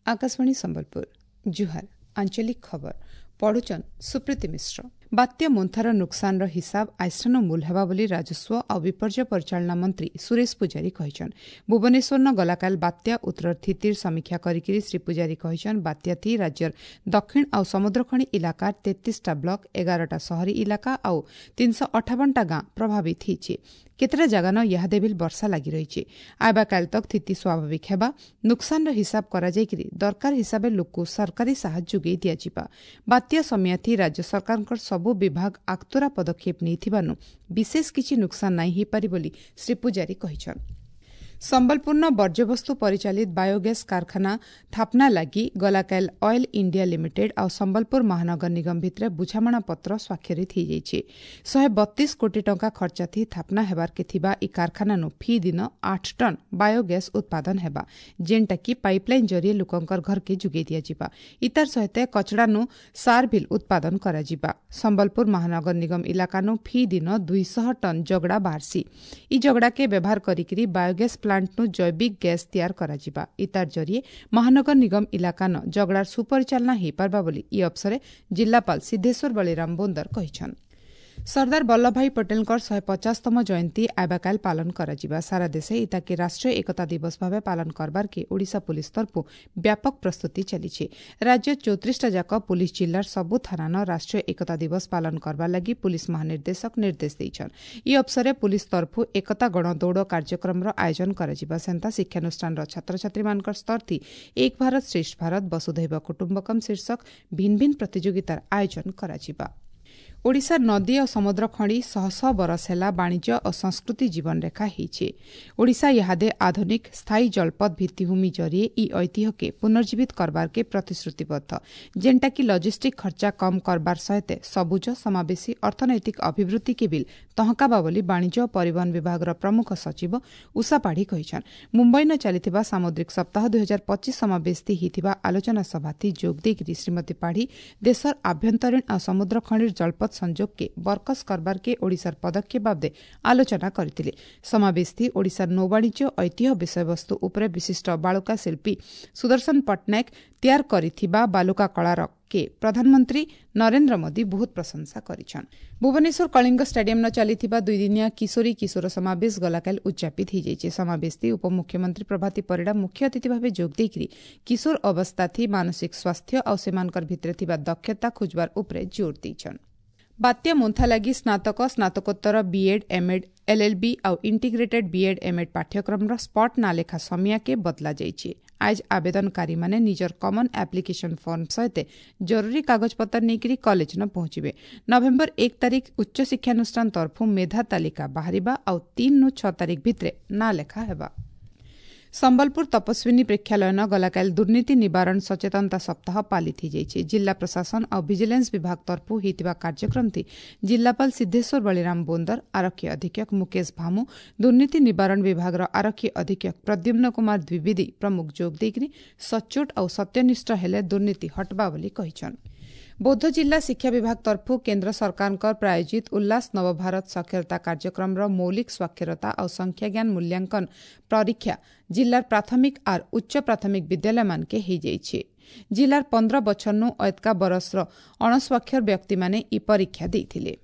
Akashvani Sambalpur ଜୁହାର। ଆଞ୍ଚଳିକ ଖବର ପଢୁଛନ୍ ସୁପ୍ରୀତି ମିଶ୍ର। ବାତ୍ୟା ମୋନ୍ଥାର ନୁକସାନର ହିସାବ ଆଇଷ୍ଠାନ ମୂଲ ହେବା ବୋଲି ରାଜସ୍ୱ ଆଉ ବିପର୍ଯ୍ୟୟ ପରିଚାଳନା ମନ୍ତ୍ରୀ ସୁରେଶ ପୂଜାରୀ କହିଛନ୍। ଭୁବନେଶ୍ୱରନ ଗଲାକାଲ ବାତ୍ୟା ଉତ୍ତର ସ୍ଥିତିର ସମୀକ୍ଷା କରିକିରି ଶ୍ରୀ ପୂଜାରୀ କହିଛନ୍, ବାତ୍ୟାଥି ରାଜ୍ୟର ଦକ୍ଷିଣ ଆଉ ସମୁଦ୍ରଖଣି ଇଲାକାର 33ଟା ବ୍ଲକ, 11ଟା ସହରୀ ଇଲାକା ଆଉ 358ଟା ଗାଁ ପ୍ରଭାବିତ ହେଇଛି। କେତେଟା ଜାଗାନ ଇହାଦେ ବିଲ୍ ବର୍ଷା ଲାଗି ରହିଛି। ଆଇବାକାଲ ତକ୍ ସ୍ଥିତି ସ୍ୱାଭାବିକ ହେବା। ନୁକସାନର ହିସାବ କରାଯାଇକିରି ଦରକାର ହିସାବେ ଲୋକକୁ ସରକାରୀ ସାହାଯ୍ୟ ଯୋଗାଇ ଦିଆଯିବା। ବାତ୍ୟା ସମୟାଥି ରାଜ୍ୟ ସରକାରଙ୍କର ସବୁ ବିଭାଗ ଆକ୍ତୁରା ପଦକ୍ଷେପ ନେଇଥିବାରୁ ବିଶେଷ କିଛି ନୁକସାନ ନାଇଁ ହେଇପାରି ବୋଲି ଶ୍ରୀ ପୂଜାରୀ କହିଛନ୍। ସମ୍ବଲପୁରନ ବର୍ଜ୍ୟବସ୍ତୁ ପରିଚାଳିତ ବାୟୋଗ୍ୟାସ୍ କାରଖାନା ଥାପନା ଲାଗି ଗଲାକାଲ ଅଏଲ୍ ଇଣ୍ଡିଆ ଲିମିଟେଡ୍ ଆଉ ସମ୍ବଲପୁର ମହାନଗର ନିଗମ ଭିତରେ ବୁଝାମଣାପତ୍ର ସ୍ୱାକ୍ଷରିତ ହୋଇଯାଇଛି। 132 କୋଟି ଟଙ୍କା ଖର୍ଚ୍ଚାଥି ଥାପନା ହେବାର୍କେ ଥିବା ଇ କାରଖାନାନୁ ଫି ଦିନ 8 ଟନ୍ ବାୟୋଗ୍ୟାସ୍ ଉତ୍ପାଦନ ହେବା, ଯେନ୍ଟାକି ପାଇପ୍ଲାଇନ୍ ଜରିଏ ଲୋକଙ୍କର ଘରକେ ଯୋଗାଇ ଦିଆଯିବା। ଇତାର ସହିତ କଚଡ଼ାନୁ ସାର ଭିଲ୍ ଉତ୍ପାଦନ କରାଯିବା। ସମ୍ବଲପୁର ମହାନଗର ନିଗମ ଇଲାକାନୁ ଫି ଦିନ 200 ଟନ୍ ଜଗଡ଼ା ବାହାରସି। ଇ ଜଗଡ଼ାକେ ବ୍ୟବହାର କରିକିରି ବାୟୋଗ୍ୟାସ୍ ପ୍ଲାଣ୍ଟନୁ ଜୈବିକ ଗ୍ୟାସ୍ ତିଆର କରାଯିବା। ଇତାର ଜରିଏ ମହାନଗର ନିଗମ ଇଲାକାନ ଜଗଡ଼ାର ସୁପରିଚାଳନା ହେଇପାରବା ବୋଲି ଇ ଅବସରେ ଜିଲ୍ଲାପାଳ ସିଦ୍ଧେଶ୍ୱର ବଳିରାମ ବୋନ୍ଦର କହିଛନ୍। ସର୍ଦ୍ଦାର ବଲ୍ଲଭଭାଇ ପଟେଲଙ୍କର 150ତମ ଜୟନ୍ତୀ ଆବାକାଲ ପାଳନ କରାଯିବା। ସାରା ଦେଶେ ଇତାକେ ରାଷ୍ଟ୍ରୀୟ ଏକତା ଦିବସ ଭାବେ ପାଳନ କରବାର୍କେ ଓଡ଼ିଶା ପୁଲିସ ତରଫୁ ବ୍ୟାପକ ପ୍ରସ୍ତୁତି ଚାଲିଛି। ରାଜ୍ୟ 34ଟା ଯାକ ପୁଲିସ ଜିଲ୍ଲାର ସବୁ ଥାନାନ ରାଷ୍ଟ୍ରୀୟ ଏକତା ଦିବସ ପାଳନ କରବାର ଲାଗି ପୁଲିସ ମହାନିର୍ଦ୍ଦେଶକ ନିର୍ଦ୍ଦେଶ ଦେଇଛନ୍। ଇ ଅବସରେ ପୁଲିସ ତରଫୁ ଏକତା ଗଣଦୌଡ଼ କାର୍ଯ୍ୟକ୍ରମର ଆୟୋଜନ କରାଯିବା। ସେନ୍ତା ଶିକ୍ଷାନୁଷ୍ଠାନର ଛାତ୍ରଛାତ୍ରୀମାନଙ୍କର ସ୍ତରଥି ଏକ ଭାରତ ଶ୍ରେଷ୍ଠ ଭାରତ, ବସୁଧୈବ କୁଟୁମ୍ବକମ୍ ଶୀର୍ଷକ ଭିନ୍ନ ଭିନ୍ନ ପ୍ରତିଯୋଗିତାର ଆୟୋଜନ କରାଯିବା। ଓଡ଼ିଶା ନଦୀ ଓ ସମୁଦ୍ର ଖଣି ଶହ ଶହ ବରଷ ହେଲା ବାଣିଜ୍ୟ ଓ ସଂସ୍କୃତି ଜୀବନରେଖା ହେଇଛି। ଓଡ଼ିଶା ଇହାଦେ ଆଧୁନିକ ସ୍ଥାୟୀ ଜଳପଥ ଭିତ୍ତିଭୂମି ଜରିଏ ଇ ଐତିହ୍ୟକେ ପୁନର୍ଜୀବିତ କରବାର୍କେ ପ୍ରତିଶ୍ରୁତିବଦ୍ଧ, ଯେନ୍ଟାକି ଲଜିଷ୍ଟିକ୍ ଖର୍ଚ୍ଚା କମ୍ କରବାର ସହିତ ସବୁଜ ସମାବେଶୀ ଅର୍ଥନୈତିକ ଅଭିବୃଦ୍ଧିକେ ବିଲ୍ ତହକାବା ବୋଲି ବାଣିଜ୍ୟ ଓ ପରିବହନ ବିଭାଗର ପ୍ରମୁଖ ସଚିବ ଉଷା ପାଢ଼ୀ କହିଛନ୍। ମୁମ୍ବାଇନ ଚାଲିଥିବା ସାମୁଦ୍ରିକ ସପ୍ତାହ 2025 ସମାବେଶଥି ହେଇଥିବା ଆଲୋଚନା ସଭାଥି ଯୋଗ ଦେଇକିରି ଶ୍ରୀମତୀ ପାଢ଼ୀ ଦେଶର ଆଭ୍ୟନ୍ତରୀଣ ଆଉ ସମୁଦ୍ର ଖଣିର ଜଳପଥ ସଂଯୋଗକେ ବରକସ କରବାର୍କେ ଓଡ଼ିଶାର ପଦକ୍ଷେପ ବାବଦେ ଆଲୋଚନା କରିଥିଲେ। ସମାବେଶଥି ଓଡ଼ିଶାର ନୌବାଣିଜ୍ୟ ଐତିହ୍ୟ ବିଷୟବସ୍ତୁ ଉପରେ ବିଶିଷ୍ଟ ବାଳୁକା ଶିଳ୍ପୀ ସୁଦର୍ଶନ ପଟ୍ଟନାୟକ ତିଆର କରିଥିବା ବାଲୁକା କଳାର କେ ପ୍ରଧାନମନ୍ତ୍ରୀ ନରେନ୍ଦ୍ର ମୋଦି ବହୁତ ପ୍ରଶଂସା କରିଛନ୍। ଭୁବନେଶ୍ୱର କଳିଙ୍ଗ ଷ୍ଟାଡିୟମ୍ନ ଚାଲିଥିବା ଦୁଇଦିନିଆ କିଶୋରୀ କିଶୋର ସମାବେଶ ଗଲାକାଲ ଉଦ୍ଯାପିତ ହୋଇଯାଇଛି। ସମାବେଶଥି ଉପମୁଖ୍ୟମନ୍ତ୍ରୀ ପ୍ରଭାତୀ ପରିଡ଼ା ମୁଖ୍ୟ ଅତିଥି ଭାବେ ଯୋଗ ଦେଇକିରି କିଶୋର ଅବସ୍ଥାଥି ମାନସିକ ସ୍ୱାସ୍ଥ୍ୟ ଆଉ ସେମାନଙ୍କର ଭିତରେ ଥିବା ଦକ୍ଷତା ଖୋଜବାର ଉପରେ ଜୋର ଦେଇଛନ୍। ବାତ୍ୟା ମୋନ୍ଥା ଲାଗି ସ୍ନାତକ, ସ୍ନାତକୋତ୍ତର, ବିଏଡ୍, ଏମ୍ଏଡ୍, ଏଲ୍ଏଲ୍ବି ଆଉ ଇଣ୍ଟିଗ୍ରେଟେଡ୍ ବିଏଡ୍ ଏମ୍ଏଡ୍ ପାଠ୍ୟକ୍ରମର ସ୍ପଟ୍ ନାଲେଖା ସମିୟାକେ ବଦଲାଯାଇଛି। ଆଜ ଆବେଦନକାରୀମାନେ ନିଜର କମନ୍ ଆପ୍ଲିକେସନ୍ ଫର୍ମ ସହିତ ଜରୁରୀ କାଗଜପତ୍ର ନେଇକରି କଲେଜନ ପହଞ୍ଚିବେ। ନଭେମ୍ବର 1 ତାରିଖ ଉଚ୍ଚଶିକ୍ଷାନୁଷ୍ଠାନ ତରଫୁ ମେଧା ତାଲିକା ବାହାରିବା ଆଉ 3ରୁ 6 ତାରିଖ ଭିତରେ ନାଁ ଲେଖା ହେବା। ସମ୍ବଲପୁର ତପସ୍ୱିନୀ ପ୍ରେକ୍ଷାଳୟନ ଗଲାକାଲ ଦୁର୍ନୀତି ନିବାରଣ ସଚେତନତା ସପ୍ତାହ ପାଳିତ ହୋଇଯାଇଛି। ଜିଲ୍ଲା ପ୍ରଶାସନ ଆଉ ଭିଜିଲାନ୍ସ ବିଭାଗ ତରଫୁ ହୋଇଥିବା କାର୍ଯ୍ୟକ୍ରମଟି ଜିଲ୍ଲାପାଳ ସିଦ୍ଧେଶ୍ୱର ବଳିରାମ ବୋନ୍ଦର, ଆରକ୍ଷୀ ଅଧୀକ୍ଷକ ମୁକେଶ ଭାମୁ, ଦୁର୍ନୀତି ନିବାରଣ ବିଭାଗର ଆରକ୍ଷୀ ଅଧୀକ୍ଷକ ପ୍ରଦ୍ୟୁମ୍ନ କୁମାର ଦ୍ୱିବେଦୀ ପ୍ରମୁଖ ଯୋଗ ଦେଇକରି ସଚ୍ଚୋଟ ଆଉ ସତ୍ୟନିଷ୍ଠ ହେଲେ ଦୁର୍ନୀତି ହଟବା ବୋଲି କହିଛନ୍। ବୌଦ୍ଧ ଜିଲ୍ଲା ଶିକ୍ଷା ବିଭାଗ ତରଫୁ କେନ୍ଦ୍ର ସରକାରଙ୍କ ପ୍ରାୟୋଜିତ ଉଲ୍ଲାସ ନବଭାରତ ସାକ୍ଷରତା କାର୍ଯ୍ୟକ୍ରମର ମୌଳିକ ସ୍ୱାକ୍ଷରତା ଆଉ ସଂଖ୍ୟାଜ୍ଞାନ ମୂଲ୍ୟାଙ୍କନ ପରୀକ୍ଷା ଜିଲ୍ଲାର ପ୍ରାଥମିକ ଆର୍ ଉଚ୍ଚ ପ୍ରାଥମିକ ବିଦ୍ୟାଳୟମାନକେ ହୋଇଯାଇଛି। ଜିଲ୍ଲାର 15 ବଛରନୁ ଅଏତକା ବରଷର ଅଣସ୍ୱାକ୍ଷର ବ୍ୟକ୍ତିମାନେ ଇ ପରୀକ୍ଷା ଦେଇଥିଲେ।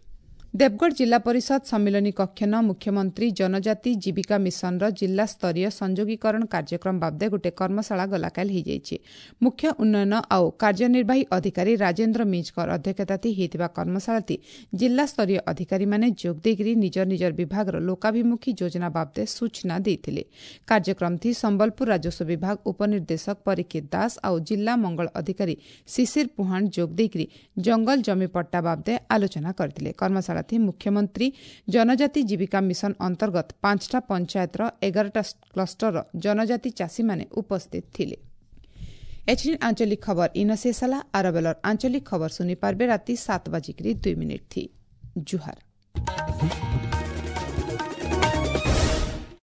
ଦେବଗଡ଼ ଜିଲ୍ଲା ପରିଷଦ ସମ୍ମିଳନୀ କକ୍ଷନ ମୁଖ୍ୟମନ୍ତ୍ରୀ ଜନଜାତି ଜୀବିକା ମିଶନର ଜିଲ୍ଲାସ୍ତରୀୟ ସଂଯୋଗୀକରଣ କାର୍ଯ୍ୟକ୍ରମ ବାବଦେ ଗୋଟିଏ କର୍ମଶାଳା ଗଲାକାଲ ହୋଇଯାଇଛି। ମୁଖ୍ୟ ଉନ୍ନୟନ ଆଉ କାର୍ଯ୍ୟନିର୍ବାହୀ ଅଧିକାରୀ ରାଜେନ୍ଦ୍ର ମିଞ୍ଜଙ୍କର ଅଧ୍ୟକ୍ଷତାଥି ହୋଇଥିବା କର୍ମଶାଳାତି ଜିଲ୍ଲାସ୍ତରୀୟ ଅଧିକାରୀମାନେ ଯୋଗ ଦେଇକରି ନିଜର ନିଜର ବିଭାଗର ଲୋକାଭିମୁଖୀ ଯୋଜନା ବାବଦେ ସୂଚନା ଦେଇଥିଲେ। କାର୍ଯ୍ୟକ୍ରମଥି ସମ୍ବଲପୁର ରାଜସ୍ୱ ବିଭାଗ ଉପନିର୍ଦ୍ଦେଶକ ପରୀକ୍ଷିତ ଦାସ ଆଉ ଜିଲ୍ଲା ମଙ୍ଗଳ ଅଧିକାରୀ ଶିଶିର ପୁହାଣ ଯୋଗ ଦେଇକରି ଜଙ୍ଗଲ ଜମି ପଟ୍ଟା ବାବଦେ ଆଲୋଚନା କରିଥିଲେ। କର୍ମଶାଳା ମୁଖ୍ୟମନ୍ତ୍ରୀ ଜନଜାତି ଜୀବିକା ମିଶନ ଅନ୍ତର୍ଗତ 5ଟା ପଞ୍ଚାୟତର 11ଟା କ୍ଲଷ୍ଟରର ଜନଜାତି ଚାଷୀମାନେ ଉପସ୍ଥିତ ଥିଲେ। ଏଛିନ୍ ଆଞ୍ଚଳିକ ଖବର ଇନ ଶେଷ ହେଲା। ଆରବେଲର ଆଞ୍ଚଳିକ ଖବର ଶୁଣିପାରିବେ ରାତି 7:02 ଥି। ଜୁହାର।